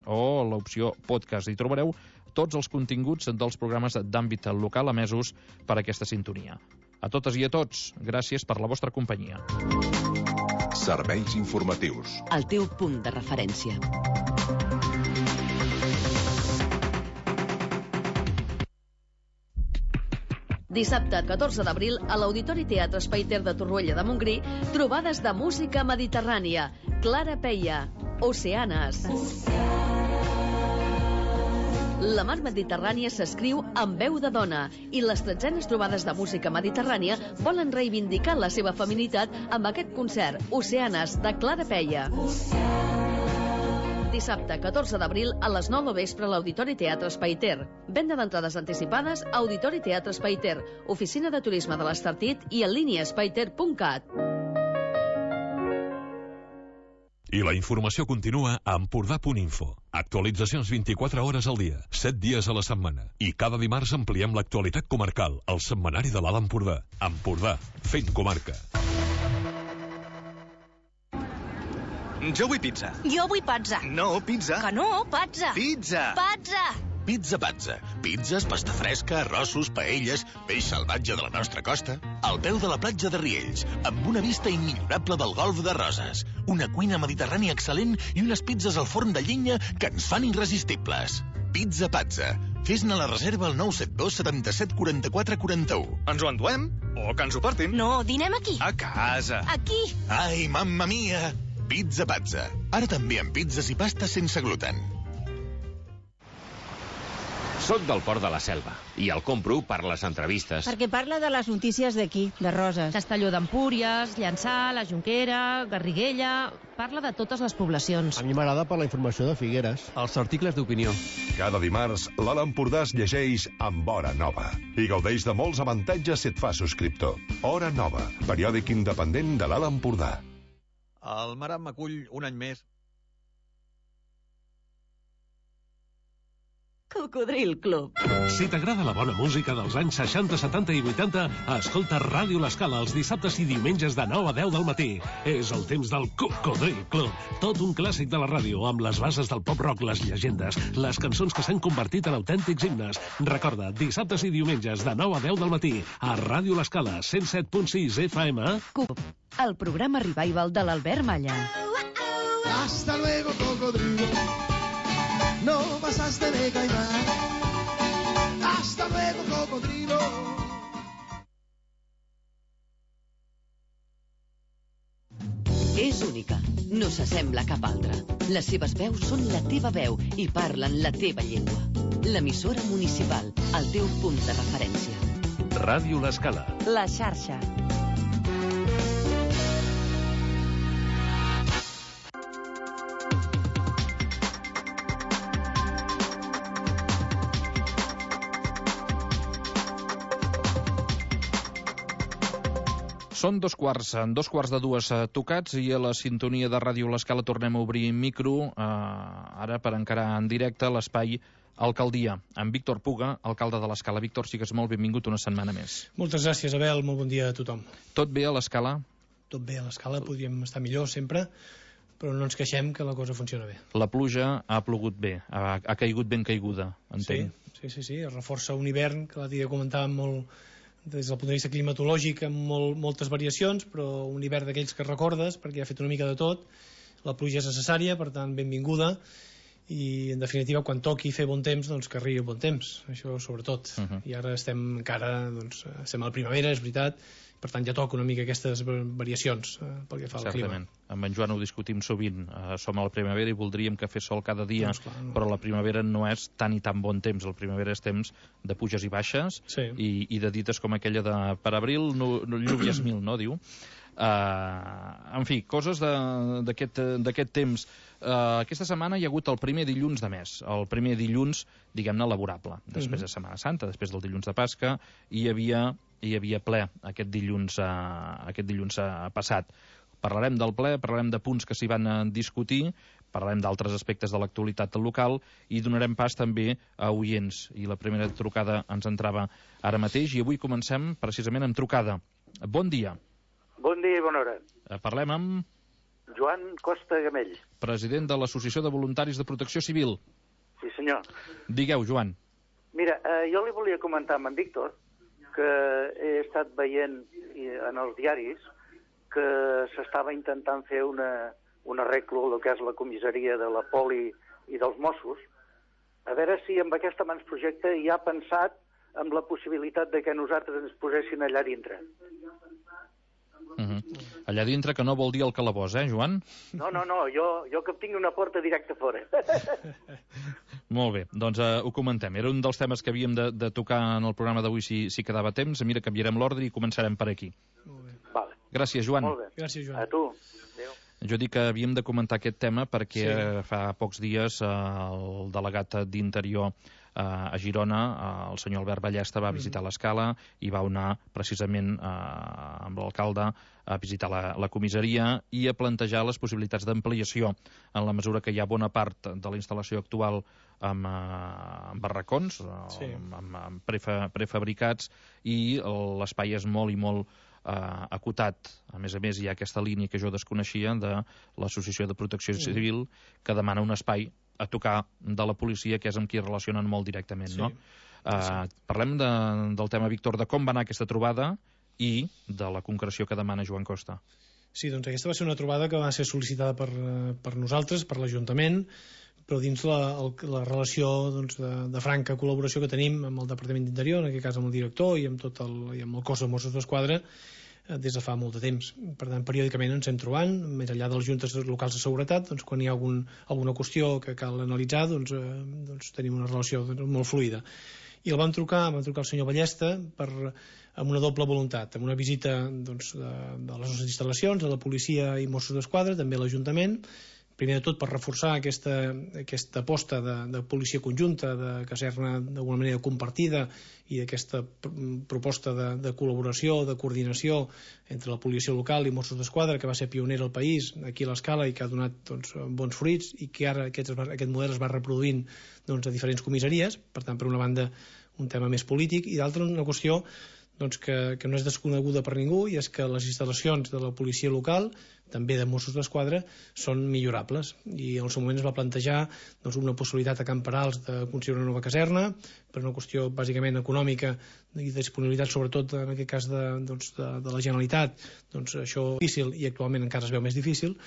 o l'opció podcast. Hi trobareu tots els continguts dels programes d'àmbit local emesos per aquesta sintonia. A totes i a tots, gràcies per la vostra companyia. Serveis informatius. El teu punt de referència. Dissabte 14 d'abril a l'Auditori Teatre Espai Ter de Torroella de Montgrí, trobades de música mediterrània. Clara Peia, Oceanes. La mar Mediterrània s'escriu amb veu de dona i les 13enes trobades de música mediterrània volen reivindicar la seva feminitat amb aquest concert, Oceanes, de Clara Peia. Dissabte 14 d'abril a les 9 del vespre a l'Auditori Teatre Espai Ter. Venda d'entrades anticipades a Auditori Teatre Espai Ter, Oficina de Turisme de l'Estartit i en línia espaiter.cat. I la informació continua a Empordà.info. Actualitzacions 24 hores al dia, 7 dies a la setmana. I cada dimarts ampliem l'actualitat comarcal, al setmanari de l'Alt Empordà. Empordà, fent comarca. Jo vull pizza. Jo vull pazza. No, pizza. Que no, pazza. Pizza. Pazza. Pizza Pazza. Pizzas, pasta fresca, arrossos, paelles, peix salvatge de la nostra costa. Al peu de la platja de Riells, amb una vista immillorable del golf de Roses. Una cuina mediterrània excel·lent i unes pizzas al forn de llenya que ens fan irresistibles. Pizza Pazza. Fes-ne la reserva al 972 77 44 41. Ens ho enduem? O que ens ho portin? No, dinem aquí. A casa. Aquí. Ai, mamma mia! Pizza Pazza. Ara també amb pizzas i pastes sense gluten. Soc del Port de la Selva i el compro per les entrevistes. Perquè parla de les notícies d'aquí, de Roses. Castelló d'Empúries, Llançà, la Jonquera, Garriguella... Parla de totes les poblacions. A mi m'agrada per la informació de Figueres. Els articles d'opinió. Cada dimarts, l'Alt Empordà es llegeix amb Hora Nova i gaudeix de molts avantatges si et fa subscriptor. Hora Nova, periòdic independent de l'Alt Empordà. El Maram acull un any més. Cocodril Club. Si t'agrada la bona música dels anys 60, 70 i 80, escolta Ràdio L'Escala els dissabtes i diumenges de 9 a 10 del matí. És el temps del Cocodril Club. Tot un clàssic de la ràdio, amb les bases del pop-rock, les llegendes, les cançons que s'han convertit en autèntics himnes. Recorda, dissabtes i diumenges de 9 a 10 del matí, a Ràdio L'Escala, 107.6 FM. CUP, el programa revival de l'Albert Malla. Hasta luego, cocodrilo. No pasaste de caimán. Hasta luego, cocodrilo. És única, no s'assembla a cap altra. Les seves veus són la teva veu i parlen la teva llengua. L'emissora municipal, el teu punt de referència. Ràdio L'Escala. La xarxa. Són dos quarts de dues tocats i a la sintonia de Ràdio L'Escala tornem a obrir micro, ara per encarar en directe l'espai Alcaldia, amb Víctor Puga, alcalde de l'Escala. Víctor, sigues molt benvingut una setmana més. Moltes gràcies, Abel, molt bon dia a tothom. Tot bé a l'Escala? Tot bé a l'Escala, podríem estar millor sempre, però no ens queixem que la cosa funciona bé. La pluja ha plogut bé, ha caigut ben caiguda, entenc. Sí, es reforça un hivern que l'altre dia comentàvem molt des del punt de vista climatològic amb moltes variacions, però un hivern d'aquells que recordes perquè ha fet una mica de tot. La pluja és necessària, per tant benvinguda, i en definitiva quan toqui fer bon temps, doncs que arribi el bon temps, això sobretot. I ara estem encara, doncs, estem a la primavera, és veritat, per tant ja toca una mica aquestes variacions pel que fa al clima. Amb en Joan ho discutim sovint, som a la primavera i voldríem que fes sol cada dia, però la primavera no és tan i tan bon temps, la primavera és temps de puges i baixes i de dites com aquella de per abril llúvies mil, no, diu? En fi, coses d'aquest temps. Aquesta setmana hi ha hagut el primer dilluns de mes, el primer dilluns, diguem-ne, laborable, després de Setmana Santa, després del dilluns de Pasca, i hi havia ple aquest dilluns passat. Parlarem del ple, parlarem de punts que s'hi van discutir, parlarem d'altres aspectes de l'actualitat local i donarem pas també a oients. I la primera trucada ens entrava ara mateix i avui comencem precisament amb trucada. Bon dia. Bon dia i bona hora. Parlem amb... Joan Costa Gamell. President de l'Associació de Voluntaris de Protecció Civil. Sí, senyor. Digueu, Joan. Mira, jo li volia comentar amb en Víctor que he estat veient en els diaris que s'estava intentant fer un arreglo del que és la comissaria de la Poli i dels Mossos. A veure si amb aquest avantprojecte hi ha pensat amb la possibilitat de que nosaltres ens posessin allà dintre. Allà dintre, que no vol dir el calabós, Joan? No, jo que tingui una porta directa fora. Molt bé, doncs ho comentem. Era un dels temes que havíem de tocar en el programa d'avui si quedava temps. Mira, canviarem l'ordre i començarem per aquí. Molt bé. Vale. Gràcies, Joan. Molt bé. Gràcies, Joan. A tu. Adéu. Jo dic que havíem de comentar aquest tema perquè fa pocs dies el delegat d'Interior a Girona, el senyor Albert Ballesta, va visitar l'Escala i va anar precisament amb l'alcalde a visitar la comissaria i a plantejar les possibilitats d'ampliació en la mesura que hi ha bona part de la instal·lació actual amb barracons, amb prefabricats, i l'espai és molt i molt acotat. A més, hi ha aquesta línia que jo desconeixia de l'Associació de Protecció Civil que demana un espai a tocar de la policia, que és amb qui es relacionen molt directament, no? Parlem del tema, Víctor, de com va anar aquesta trobada i de la concreció que demana Joan Costa. Sí, doncs aquesta va ser una trobada que va ser sol·licitada per nosaltres, per l'Ajuntament, però dins la relació de franca col·laboració que tenim amb el Departament d'Interior, en aquest cas amb el director i amb el cos de Mossos d'Esquadra, des de fa molt de temps. Per tant, periòdicament ens hem trobant, més enllà de les juntes locals de seguretat, quan hi ha alguna qüestió que cal analitzar, tenim una relació molt fluida. I el vam trucar el senyor Ballesta amb una doble voluntat, amb una visita de les nostres instal·lacions, de la policia i Mossos d'Esquadra, també a l'Ajuntament, primer de tot per reforçar aquesta aposta de policia conjunta, de caserna d'alguna manera compartida i aquesta proposta de col·laboració, de coordinació entre la policia local i Mossos d'Esquadra, que va ser pionera al país, aquí a l'Escala, i que ha donat bons fruits, i que ara aquest model es va reproduint a diferents comissaries. Per tant, per una banda, un tema més polític, i d'altra, una qüestió que no és desconeguda per ningú, i és que les instal·lacions de la policia local, també de Mossos d'Esquadra, són millorables, i en el seu moment es va plantejar una possibilitat a Camp Perals de construir una nova caserna, per una qüestió bàsicament econòmica i de disponibilitat, sobretot en aquest cas de la Generalitat. Això és difícil, i actualment encara es veu més difícil,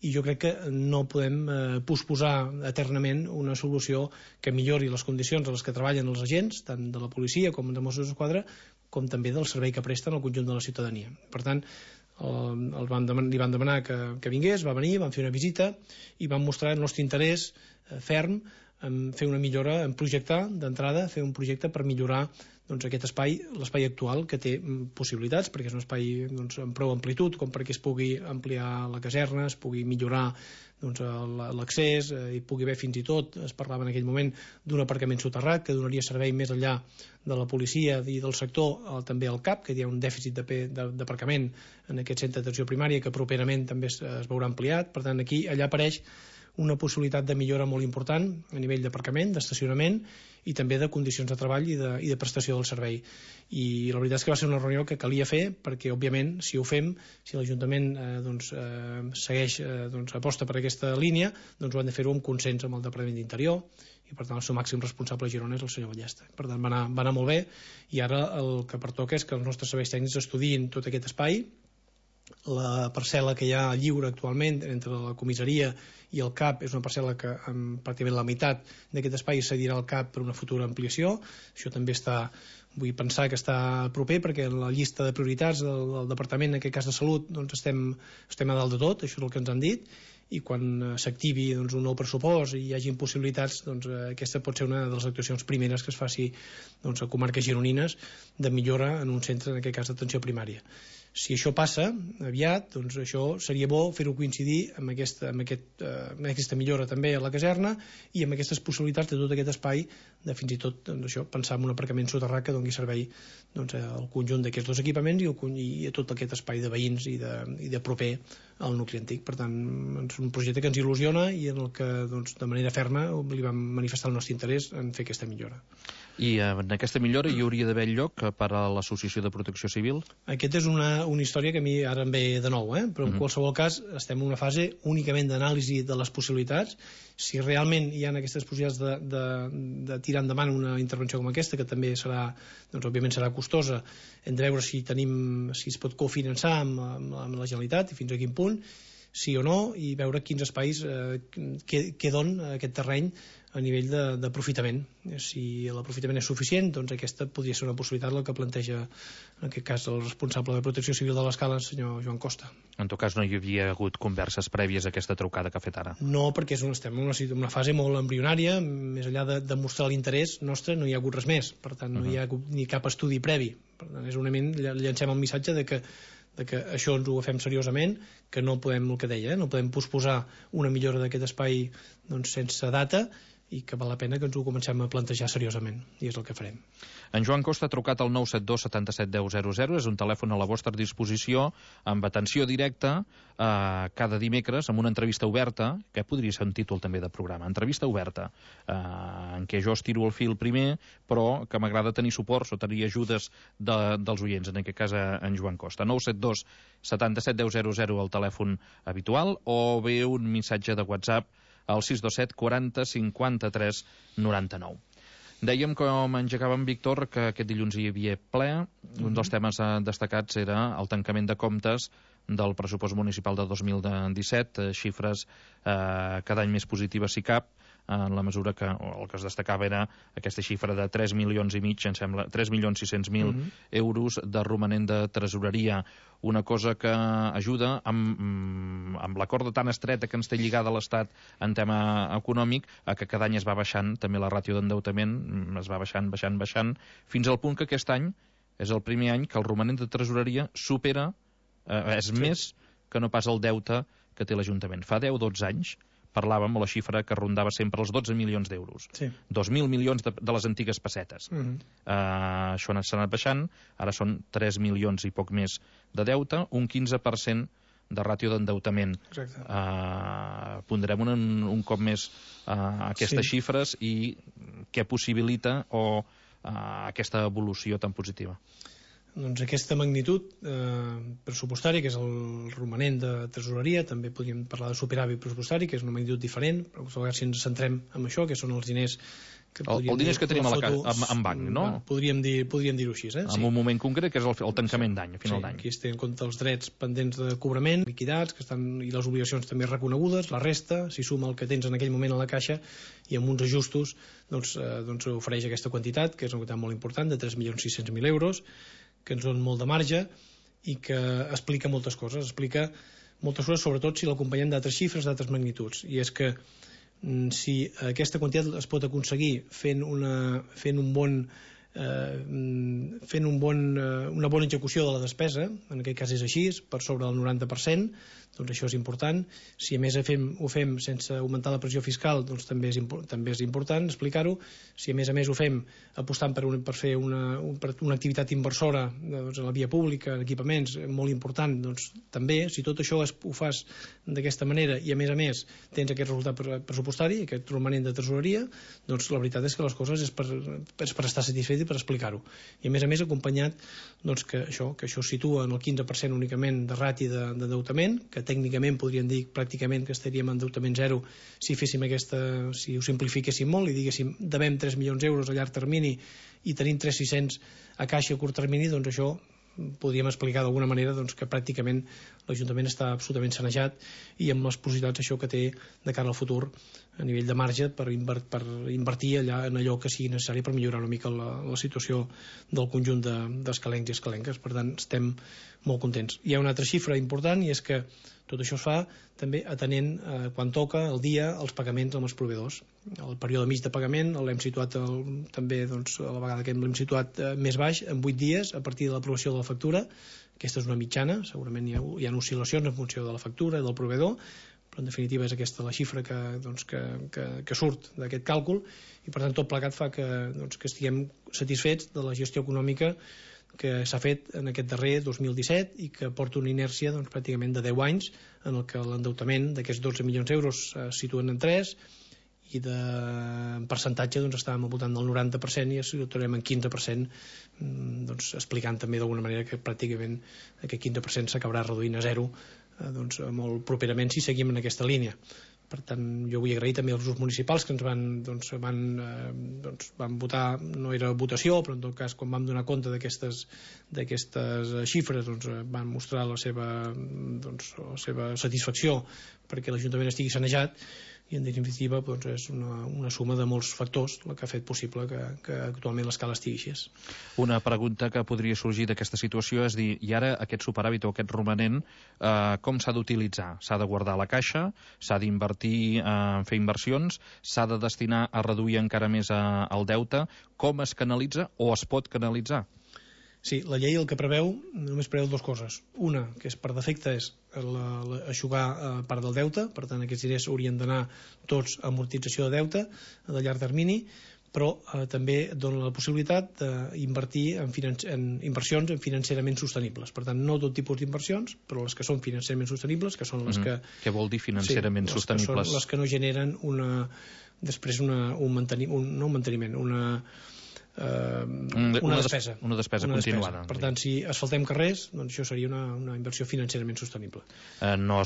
i jo crec que no podem posposar eternament una solució que millori les condicions a les que treballen els agents, tant de la policia com de Mossos d'Esquadra, com també del servei que presten al conjunt de la ciutadania. Per tant, li van demanar que vingués, va venir, van fer una visita i van mostrar el nostre interès ferm en fer una millora, en projectar d'entrada, fer un projecte per millorar aquest espai, l'espai actual, que té possibilitats, perquè és un espai amb prou amplitud com perquè es pugui ampliar la caserna, es pugui millorar l'accés, hi pugui haver fins i tot, es parlava en aquell moment d'un aparcament soterrat que donaria servei més enllà de la policia i del sector, també al CAP, que hi ha un dèficit d'aparcament en aquest centre d'atenció primària que properament també es veurà ampliat. Per tant, allà apareix una possibilitat de millora molt important a nivell d'aparcament, d'estacionament i també de condicions de treball i de prestació del servei. I la veritat és que va ser una reunió que calia fer perquè, òbviament, si ho fem, si l'Ajuntament segueix, aposta per aquesta línia, ho han de fer-ho amb consens amb el Departament d'Interior, i per tant el seu màxim responsable a Girona és el senyor Ballesta. Per tant, va anar molt bé, i ara el que pertoca és que els nostres serveis tècnics estudiïn tot aquest espai. La parcel·la que hi ha lliure actualment entre la comissaria i el CAP és una parcel·la que pràcticament la meitat d'aquest espai cedirà al CAP per una futura ampliació. Això també vull pensar que està proper, perquè en la llista de prioritats del Departament, en aquest cas de Salut, estem a dalt de tot, això és el que ens han dit, i quan s'activi un nou pressupost i hi hagin possibilitats, aquesta pot ser una de les actuacions primeres que es faci a comarques gironines de millora en un centre, en aquest cas d'atenció primària. Si això passa aviat, això seria bo fer-ho coincidir amb aquesta millora també a la caserna i amb aquestes possibilitats de tot aquest espai, de fins i tot pensar en un aparcament soterrat que doni servei al conjunt d'aquests dos equipaments i a tot aquest espai de veïns i de proper al nucli antic. Per tant, és un projecte que ens il·lusiona i en el que de manera ferma li vam manifestar el nostre interès en fer aquesta millora. I en aquesta millora hi hauria d'haver lloc per a l'Associació de Protecció Civil? Aquesta és una història que a mi ara em ve de nou, però en qualsevol cas estem en una fase únicament d'anàlisi de les possibilitats. Si realment hi ha aquestes possibilitats de tirar endavant una intervenció com aquesta, que també serà, doncs òbviament serà costosa, hem de veure si es pot cofinançar amb la Generalitat i fins a quin punt, sí o no, i veure quins espais què dona aquest terreny a nivell d'aprofitament. Si l'aprofitament és suficient, doncs aquesta podria ser una possibilitat, el que planteja en aquest cas el responsable de Protecció Civil de l'Escala, el senyor Joan Costa. En tot cas no hi havia hagut converses prèvies a aquesta trucada que ha fet ara? No, perquè estem en una fase molt embrionària, més enllà de mostrar l'interès nostre no hi ha hagut res més, per tant no hi ha hagut ni cap estudi previ, per tant és únicament llancem el missatge de que això ens ho agafem seriosament, que no podem, el que deia, no podem posposar una millora d'aquest espai sense data, i que val la pena que ens ho comencem a plantejar seriosament, i és el que farem. En Joan Costa ha trucat al 972 77 10 00, és un telèfon a la vostra disposició, amb atenció directa, cada dimecres, amb una entrevista oberta, que podria ser un títol també de programa, entrevista oberta, en què jo estiro el fil primer, però que m'agrada tenir suports o tenir ajudes dels oients, en aquest cas en Joan Costa. 972 77 10 00, el telèfon habitual, o bé un missatge de WhatsApp al 627 40 53 99. Dèiem, com engegàvem, Víctor, que aquest dilluns hi havia ple. Un dels temes destacats era el tancament de comptes del pressupost municipal de 2017, xifres cada any més positives si cap, en la mesura que el que es destacava era aquesta xifra de 3 milions i mig, em sembla, 3.600.000 euros de romanent de tresoreria. Una cosa que ajuda amb la corda tan estreta que ens té lligada l'Estat en tema econòmic, a que cada any es va baixant, també la ràtio d'endeutament es va baixant, fins al punt que aquest any és el primer any que el romanent de tresoreria supera, és més que no pas el deute que té l'Ajuntament. Fa 10-12 anys parlàvem la xifra que rondava sempre els 12 milions d'euros. 2.000 milions de les antigues pessetes. Això s'ha anat baixant, ara són 3 milions i poc més de deute, un 15% de ràtio d'endeutament. Ponderem un cop més aquestes xifres i què possibilita aquesta evolució tan positiva. Doncs aquesta magnitud pressupostària, que és el romanent de tresoreria, també podríem parlar de superàvit pressupostari, que és una magnitud diferent, però si ens centrem en això, que són els diners que diners que tenim en banc, no? Podríem dir-ho així. En un moment concret, que és el tancament d'any, a final d'any. Aquí es té en compte els drets pendents de cobrament, liquidats, i les obligacions també reconegudes, la resta, si suma el que tens en aquell moment a la caixa, i amb uns ajustos ofereix aquesta quantitat, que és una quantitat molt important, de 3.600.000 euros, que ens dona molt de marge i que explica moltes coses. Explica moltes coses, sobretot si l'acompanyem d'altres xifres, d'altres magnituds. I és que si aquesta quantitat es pot aconseguir fent una bona execució de la despesa, en aquest cas és així, per sobre del 90%, doncs això és important. Si a més ho fem sense augmentar la pressió fiscal, doncs també és important explicar-ho. Si a més ho fem apostant per fer una activitat inversora en la via pública, en equipaments, molt important, doncs també, si tot això ho fas d'aquesta manera i a més tens aquest resultat pressupostari, aquest romanent de tresoreria, doncs la veritat és que les coses és per estar satisfet i per explicar-ho. I a més acompanyat que això situa en el 15% únicament de rati d'endeutament, que tècnicament podríem dir pràcticament que estaríem en endeutament zero si ho simplifiquéssim molt i diguéssim devem 3 milions d'euros a llarg termini i tenim 3.600 a caixa a curt termini, doncs això podríem explicar d'alguna manera que pràcticament l'Ajuntament està absolutament sanejat i amb les possibilitats això que té de cara al futur a nivell de marge per invertir en allò que sigui necessari per millorar una mica la situació del conjunt d'escalencs i escalenques. Per tant, estem molt contents. Hi ha una altra xifra important i és que tot això es fa també atenent quan toca el dia els pagaments amb els proveïdors. El període mig de pagament l'hem situat també a la vegada que l'hem situat més baix, en 8 dies a partir de l'aprovació de la factura. Aquesta és una mitjana, segurament hi ha oscil·lacions en funció de la factura i del proveïdor, però en definitiva és aquesta la xifra que surt d'aquest càlcul i per tant tot plegat fa que estiguem satisfets de la gestió econòmica que s'ha fet en aquest darrer 2017 i que porta una inèrcia doncs, pràcticament de 10 anys en el que l'endeutament d'aquests 12 milions d'euros es situen en 3 i en percentatge doncs, estàvem al voltant del 90% i es situarem en 15%, doncs, explicant també d'alguna manera que pràcticament aquest 15% s'acabarà reduint a 0 doncs, molt properament si seguim en aquesta línia. Per tant, jo vull agrair també als grups municipals que ens van votar, no era votació, però en tot cas quan vam donar compte d'aquestes xifres doncs, van mostrar la seva satisfacció perquè l'Ajuntament estigui sanejat i en definitiva doncs, és una suma de molts factors el que ha fet possible que actualment l'escala estigui així. Una pregunta que podria sorgir d'aquesta situació és dir, i ara aquest superàvit o aquest romanent com s'ha d'utilitzar? S'ha de guardar a la caixa? S'ha d'invertir en fer inversions? S'ha de destinar a reduir encara més el deute? Com es canalitza o es pot canalitzar? Sí, la llei el que preveu, només preveu dues coses. Una, que és per defecte, és aixugar part del deute, per tant aquests diners haurien d'anar tots a amortització de deute de llarg termini, però també dona la possibilitat d'invertir en inversions financerament sostenibles. Per tant, no tot tipus d'inversions, però les que són financerament sostenibles, que són les que... Què vol dir financerament sostenibles? Que són les que no generen una despesa. Una despesa continuada. Per tant, si asfaltem carrers, doncs això seria una inversió financerament sostenible. No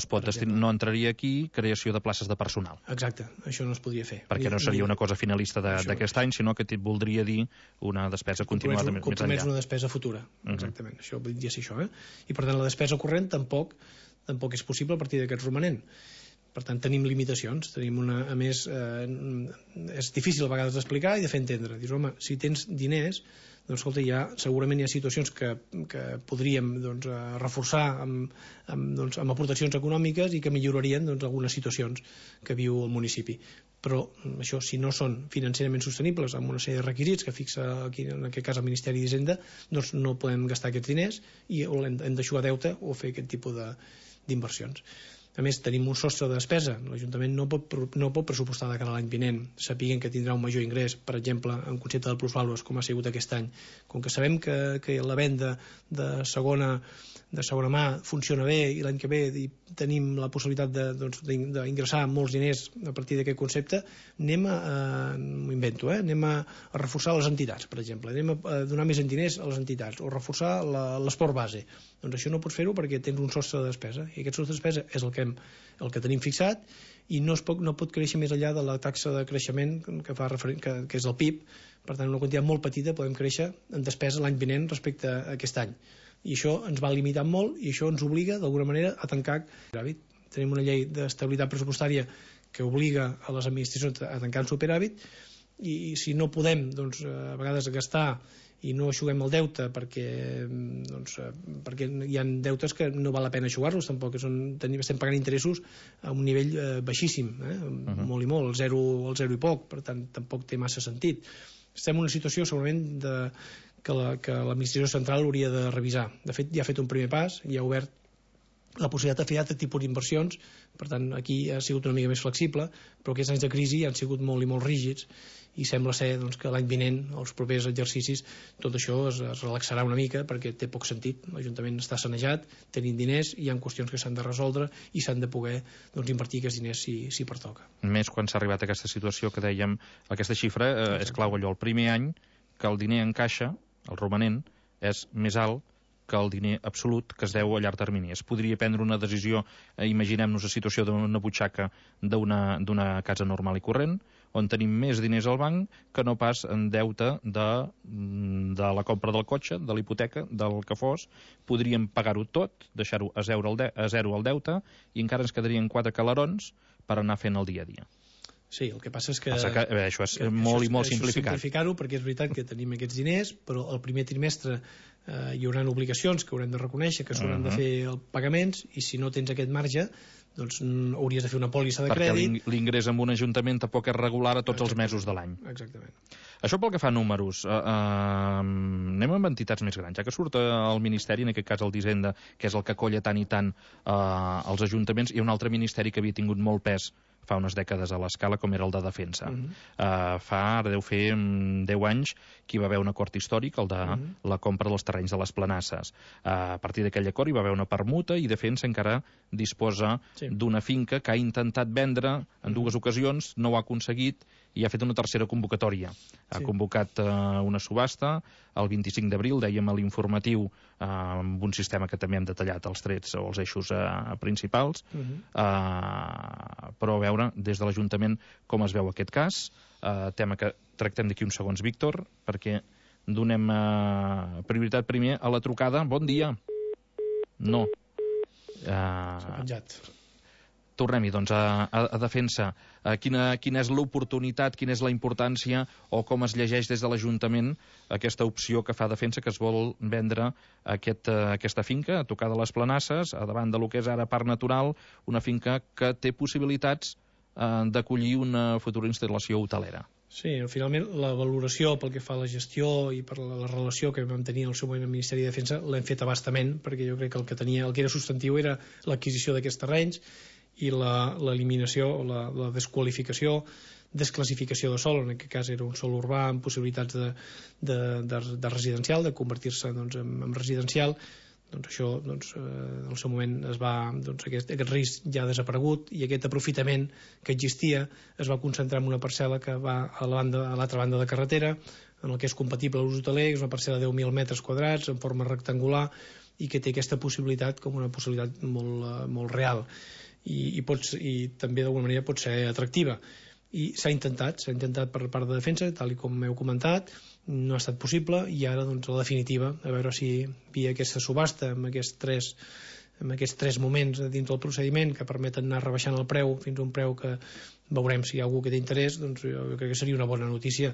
entraria aquí creació de places de personal. Exacte, això no es podria fer. Perquè no seria una cosa finalista d'aquest any, sinó que voldria dir una despesa continuada més enllà. Compromets una despesa futura, exactament. Això voldria ser això. I per tant, la despesa corrent tampoc és possible a partir d'aquest romanent. Per tant, tenim limitacions. A més, és difícil a vegades d'explicar i de fer entendre. Dius, home, si tens diners, doncs, escolta, segurament hi ha situacions que podríem reforçar amb aportacions econòmiques i que millorarien algunes situacions que viu el municipi. Però això, si no són financerament sostenibles amb una sèrie de requisits que fixa aquí, en aquest cas el Ministeri d'Hisenda, doncs no podem gastar aquests diners i hem d'aixugar deute o fer aquest tipus d'inversions. A més, tenim un sostre de despesa. L'Ajuntament no pot pressupostar de cara a l'any vinent, sapiguent que tindrà un major ingrés, per exemple, en concepte del plusvàlues, com ha sigut aquest any. Com que sabem que la venda de segona mà funciona bé i l'any que ve tenim la possibilitat d'ingressar molts diners a partir d'aquest concepte, anem a reforçar les entitats, per exemple. Anem a donar més diners a les entitats o reforçar l'esport base. Doncs això no pots fer-ho perquè tens un sostre de despesa i aquest sostre de despesa és el que tenim fixat i no pot créixer més enllà de la taxa de creixement que és el PIB. Per tant, una quantitat molt petita podem créixer en despesa l'any vinent respecte a aquest any. I això ens va limitar molt i això ens obliga d'alguna manera a tancar superàvit. Tenim una llei d'estabilitat pressupostària que obliga a les administracions a tancar el superàvit i si no podem a vegades gastar i no aixuguem el deute perquè hi ha deutes que no val la pena aixugar-los tampoc, estem pagant interessos a un nivell baixíssim, molt i molt, el zero i poc, per tant tampoc té massa sentit. Estem en una situació segurament que l'administració central hauria de revisar. De fet, ja ha fet un primer pas, ja ha obert la possibilitat de fer altre tipus d'inversions, per tant aquí ha sigut una mica més flexible, però aquests anys de crisi han sigut molt i molt rígids i sembla ser que l'any vinent, els propers exercicis, tot això es relaxarà una mica perquè té poc sentit. L'Ajuntament està sanejat, tenim diners, hi ha qüestions que s'han de resoldre i s'han de poder invertir aquests diners si pertoca. Més quan s'ha arribat a aquesta situació que dèiem, aquesta xifra és clau allò, el primer any que el diner en caixa, el romanent, és més alt que el diner absolut que es deu a llarg termini. Es podria prendre una decisió, imaginem-nos la situació d'una butxaca d'una casa normal i corrent, on tenim més diners al banc que no pas en deute de la compra del cotxe, de la hipoteca, del que fos. Podríem pagar-ho tot, deixar-ho a zero el deute, i encara ens quedarien 4 calarons per anar fent el dia a dia. Sí, el que passa és que... Això és molt i molt simplificat. Simplificar-ho perquè és veritat que tenim aquests diners, però el primer trimestre hi haurà obligacions que haurem de reconèixer, que s'hauran de fer els pagaments, i si no tens aquest marge, doncs hauries de fer una pòlissa de crèdit. Perquè l'ingrés en un ajuntament tampoc és regular a tots els mesos de l'any. Exactament. Això pel que fa a números. Anem amb entitats més grans. Ja que surt el Ministeri, en aquest cas el d'Hisenda, que és el que colla tant i tant els ajuntaments, hi ha un altre ministeri que havia tingut molt pes fa unes dècades a l'Escala, com era el de Defensa. Ara deu fer 10 anys que hi va haver un acord històric, el de la compra dels terrenys de les Planasses. A partir d'aquell acord hi va haver una permuta i Defensa encara disposa d'una finca que ha intentat vendre en 2 ocasions, no ho ha aconseguit i ha fet una tercera convocatòria. Ha convocat una subhasta el 25 d'abril, dèiem a l'informatiu, amb un sistema que també hem detallat, els trets o els eixos principals, però a veure des de l'Ajuntament com es veu aquest cas, tema que tractem d'aquí uns segons, Víctor, perquè donem prioritat primer a la trucada. Bon dia. No. S'ha penjat. Tornem-hi, doncs, a Defensa. Quina és l'oportunitat, quina és la importància o com es llegeix des de l'Ajuntament aquesta opció que fa Defensa, que es vol vendre aquesta finca a tocar de les Planasses, a davant de lo que és ara Parc Natural, una finca que té possibilitats d'acollir una futura instal·lació hotelera. Sí, finalment la valoració pel que fa a la gestió i per la relació que vam tenir en el seu moment al Ministeri de Defensa l'hem fet a bastament, perquè jo crec que el que era substantiu era l'adquisició d'aquests terrenys i l'eliminació o la desqualificació, desclassificació de sòl, en aquest cas era un sòl urbà amb possibilitats de residencial, de convertir-se en residencial. Doncs això, en el seu moment aquest risc ja ha desaparegut i aquest aprofitament que existia es va concentrar en una parcel·la que va a l'altra banda de carretera, en el que és compatible l'ús hoteler, és una parcel·la de 10.000 metres quadrats en forma rectangular i que té aquesta possibilitat com una possibilitat molt real i també d'alguna manera pot ser atractiva. I s'ha intentat per part de Defensa, tal com heu comentat, no ha estat possible i ara la definitiva, a veure si via aquesta subhasta amb aquests tres moments dins del procediment que permeten anar rebaixant el preu fins a un preu que veurem si hi ha algú que té interès, doncs jo crec que seria una bona notícia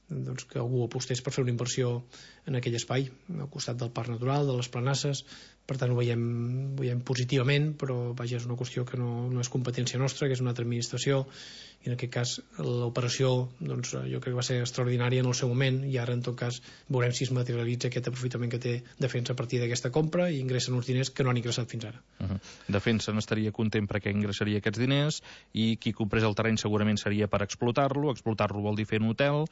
que algú apostés per fer una inversió en aquell espai, al costat del Parc Natural, de les Planasses. Per tant ho veiem positivament, però vaja, és una qüestió que no és competència nostra, que és una altra administració, i en aquest cas l'operació jo crec que va ser extraordinària en el seu moment i ara en tot cas veurem si es materialitza aquest aprofitament que té Defensa a partir d'aquesta compra i ingressen uns diners que no han ingressat fins ara. Defensa n'estaria content perquè ingressaria aquests diners i qui comprés el terreny segurament seria per explotar-lo vol dir fer un hotel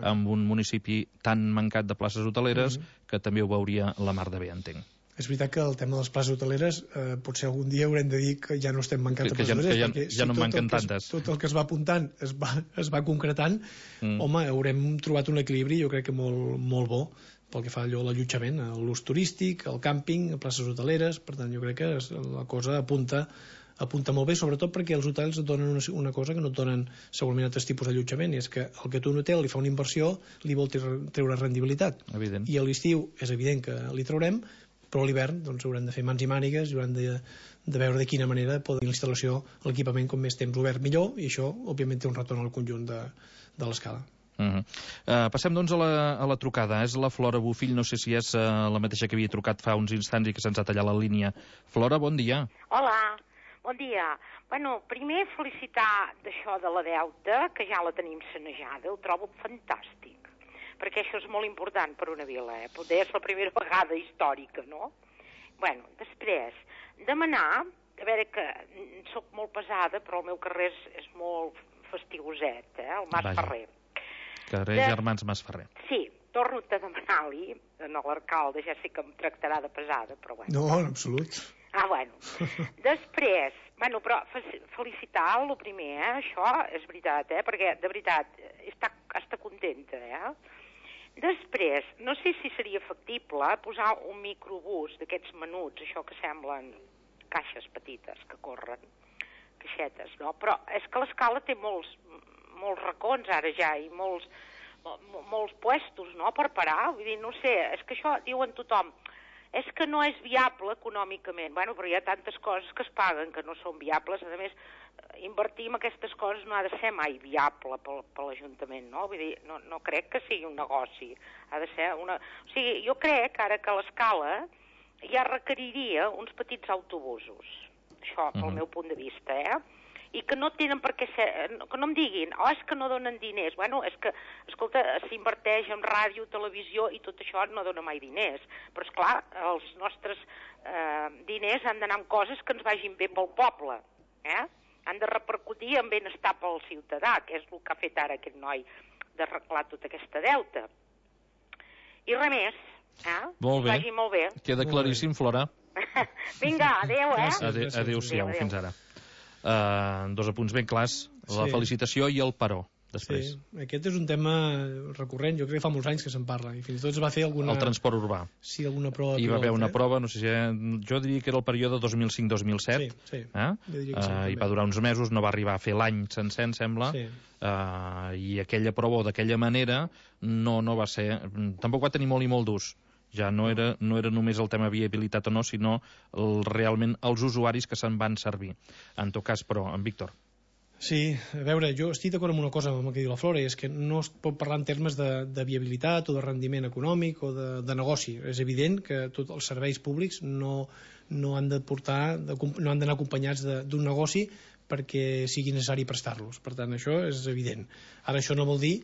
amb un municipi tan mancat de places hoteleres que també ho veuria la mar de bé, entenc. És veritat que el tema de les places hoteleres potser algun dia haurem de dir que ja no estem mancant de places hoteleres, perquè ja no manquen tantes. Tot el que es va apuntant es va concretant, home, haurem trobat un equilibri jo crec que molt bo pel que fa a l'allotjament, l'ús turístic, el càmping, places hoteleres. Per tant jo crec que la cosa apunta molt bé, sobretot perquè els hotels et donen una cosa que no et donen segurament altres tipus d'allotjament, i és que el que tu un hotel li fa una inversió li vol treure rendibilitat. Evident. I a l'estiu és evident que li traurem, però a l'hivern haurem de fer mans i mànigues i haurem de veure de quina manera poder l'instal·lació, l'equipament, com més temps obert millor, i això òbviament té un retorn al conjunt de l'Escala. Passem doncs a la trucada. És la Flora Bofill, no sé si és la mateixa que havia trucat fa uns instants i que se'ns ha tallat la línia. Flora, bon dia. Hola, bon dia. Bueno, primer felicitar d'això de la deuta, que ja la tenim sanejada, ho trobo fantàstic, perquè això és molt important per una vila, poder és la primera vegada històrica, no? Bueno, després, demanar, a veure que sóc molt pesada, però el meu carrer és molt fastigoset, el Mas Ferrer. Carrer Germans Mas Ferrer. Sí, torno a demanar-li a l'alcalde, ja sé que em tractarà de pesada, però bueno. No, en absolut. Bueno. Després, bueno, però felicitar el primer, això és veritat, perquè de veritat està contenta, Després, no sé si seria factible posar un microbús d'aquests menuts, això que semblen caixes petites que corren, caixetes, no? Però és que l'Escala té molts racons ara ja i molts puestos, no?, per parar. Vull dir, no sé, és que això diuen tothom, és que no és viable econòmicament. Bueno, però hi ha tantes coses que es paguen que no són viables. A més, invertir en aquestes coses no ha de ser mai viable per l'Ajuntament, no? Vull dir, no crec que sigui un negoci. Ha de ser una... O sigui, jo crec ara que l'Escala ja requeriria uns petits autobusos. Això, pel meu punt de vista, i que no tenen per què ser... Que no em diguin, és que no donen diners. Bueno, és que, escolta, s'inverteix en ràdio, televisió, i tot això no dona mai diners. Però, esclar, els nostres diners han d'anar en coses que ens vagin bé pel poble, han de repercutir en benestar pel ciutadà, que és el que ha fet ara aquest noi d'arreglar tota aquesta deuta. I res més, Molt bé. Vagi molt bé. Queda claríssim, Flora. Vinga, adeu, Adéu-siau, fins ara. Dos apunts ben clars, la felicitació i el paró. Després. Sí, aquest és un tema recurrent, jo crec que fa molts anys que se'n parla, i fins i tot es va fer alguna... El transport urbà. Sí, alguna prova. Hi va haver una prova, no sé si... Jo diria que era el període 2005-2007. Sí. I va durar uns mesos, no va arribar a fer l'any sencer, em sembla. Sí. I aquella prova, o d'aquella manera, no va ser... Tampoc va tenir molt i molt d'ús. Ja no era només el tema viabilitat o no, sinó realment els usuaris que se'n van servir. En tot cas, però, en Víctor... Sí, a veure, jo estic d'acord amb una cosa amb el que diu la Flora, és que no es pot parlar en termes de viabilitat o de rendiment econòmic o de negoci. És evident que tots els serveis públics no han d'anar acompanyats d'un negoci perquè sigui necessari prestar-los. Per tant, això és evident. Ara, això no vol dir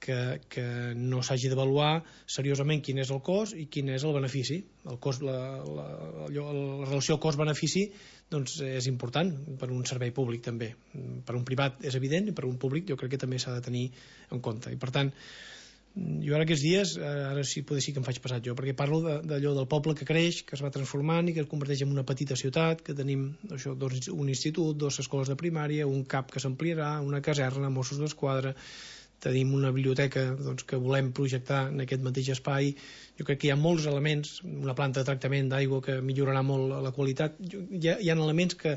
que no s'hagi d'avaluar seriosament quin és el cost i quin és el benefici. El cost, la relació cost-benefici doncs és important per un servei públic també. Per un privat és evident i per un públic jo crec que també s'ha de tenir en compte. I per tant, jo ara aquests dies, ara sí potser sí que em faig passat jo, perquè parlo d'allò del poble que creix, que es va transformant i que es converteix en una petita ciutat, que tenim això, un institut, 2 escoles de primària, un CAP que s'ampliarà, una caserna, Mossos d'Esquadra, tenim una biblioteca que volem projectar en aquest mateix espai. Jo crec que hi ha molts elements, una planta de tractament d'aigua que millorarà molt la qualitat. Hi ha elements que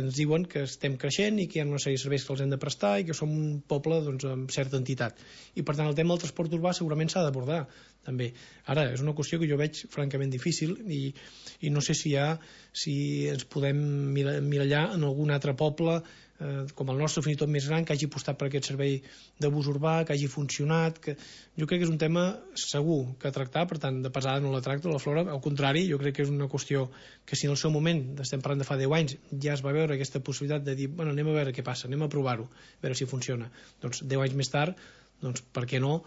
ens diuen que estem creixent i que hi ha una sèrie de serveis que els hem de prestar i que som un poble amb certa entitat. I per tant el tema del transport urbà segurament s'ha d'abordar també. Ara, és una qüestió que jo veig francament difícil i no sé si ens podem mirallar en algun altre poble com el nostre, fins i tot més gran, que hagi apostat per aquest servei de bus urbà, que hagi funcionat, que jo crec que és un tema segur que tractar, per tant, de pesada no la tracto, la Flora, al contrari, jo crec que és una qüestió que si en el seu moment, estem parlant de fa 10 anys, ja es va veure aquesta possibilitat de dir, bueno, anem a veure què passa, anem a provar-ho, a veure si funciona. Doncs 10 anys més tard, doncs per què no,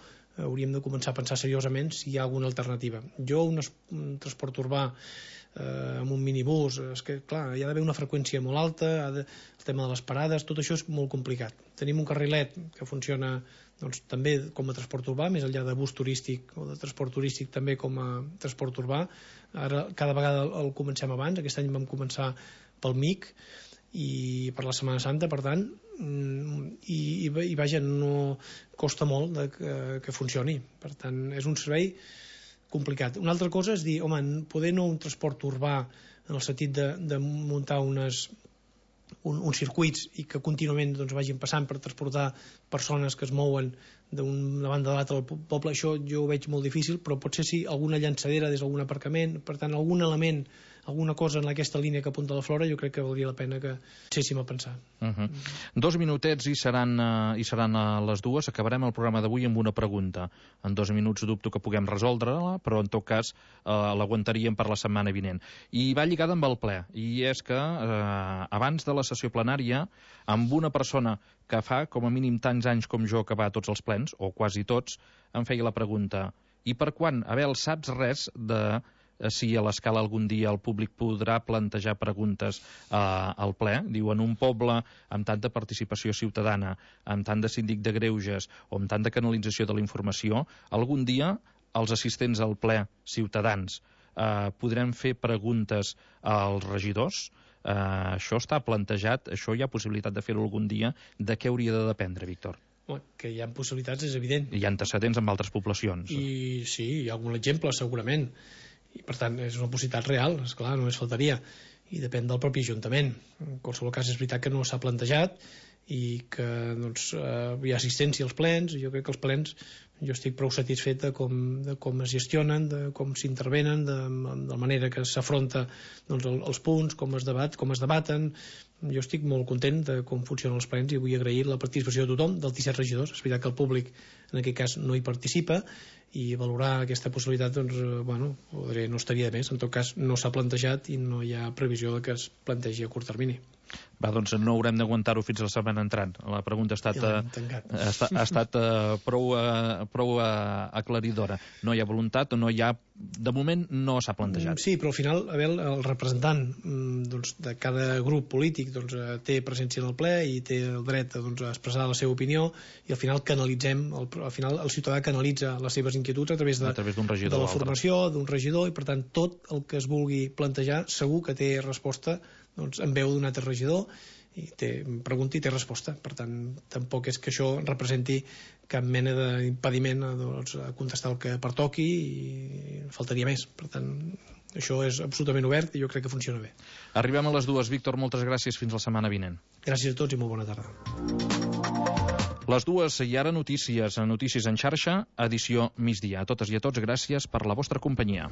hauríem de començar a pensar seriosament si hi ha alguna alternativa. Jo, un transport urbà amb un minibús, és que clar, hi ha d'haver una freqüència molt alta, el tema de les parades, tot això és molt complicat. Tenim un carrilet que funciona doncs, també com a transport urbà, més enllà de bus turístic o de transport turístic també com a transport urbà. Ara cada vegada el comencem abans, aquest any vam començar pel MIC i per la Setmana Santa, per tant, i vaja, no costa molt que funcioni. Per tant, és un servei complicat. Una altra cosa és dir, home, poder no un transport urbà en el sentit de muntar uns circuits i que contínuament doncs, vagin passant per transportar persones que es mouen d'una banda a l'altra del poble, això jo ho veig molt difícil, però potser sí alguna llançadera des d'algun aparcament, per tant algun element, alguna cosa en aquesta línia que apunta la Flora, jo crec que valdria la pena que deixéssim a pensar. 2 minutets i seran a les 2. Acabarem el programa d'avui amb una pregunta. En 2 minuts dubto que puguem resoldre-la, però en tot cas l'aguantaríem per la setmana vinent. I va lligada amb el ple, i és que abans de la sessió plenària, amb una persona que fa com a mínim tants anys com jo que va a tots els plens, o quasi tots, em feia la pregunta, i per quan? Abel, saps res de si a l'escala algun dia el públic podrà plantejar preguntes al ple? Diu, en un poble amb tanta participació ciutadana, amb tant de síndic de greuges o amb tanta canalització de la informació, algun dia els assistents al ple ciutadans podrem fer preguntes als regidors? Això està plantejat, això hi ha possibilitat de fer-ho algun dia. De què hauria de dependre, Víctor? Que hi ha possibilitats és evident. Hi ha antecedents amb altres poblacions. I sí, hi ha algun exemple segurament. I per tant és una possibilitat real, esclar, només faltaria, i depèn del propi Ajuntament. En qualsevol cas és veritat que no s'ha plantejat i que doncs, hi ha assistència als plens, i jo crec que els plens jo estic prou satisfet de com es gestionen, de com s'intervenen, de la manera que s'afronta doncs, els punts, com es debaten. Jo estic molt content de com funcionen els plens i vull agrair la participació de tothom, dels 17 regidors. És veritat que el públic en aquest cas no hi participa, i valorar aquesta possibilitat doncs, no estaria de més. En tot cas no s'ha plantejat i no hi ha previsió de que es plantegi a curt termini. Va, doncs no haurem d'aguantar-ho fins la setmana entrant. La pregunta ha estat prou aclaridora. No hi ha voluntat o no hi ha... De moment no s'ha plantejat. Sí, però al final, Abel, el representant de cada grup polític té presència en el ple i té el dret a expressar la seva opinió, i al final el ciutadà canalitza les seves inquietuds a través d'un regidor, de la formació, d'un regidor, i per tant tot el que es vulgui plantejar segur que té resposta en veu d'un altre regidor, i pregunta i té resposta. Per tant, tampoc és que això representi cap mena d'impediment a contestar el que pertoqui, i faltaria més. Per tant, això és absolutament obert i jo crec que funciona bé. Arribem a les 2. Víctor, moltes gràcies. Fins la setmana vinent. Gràcies a tots i molt bona tarda. Les 2 i ara notícies en xarxa, edició migdia. A totes i a tots, gràcies per la vostra companyia.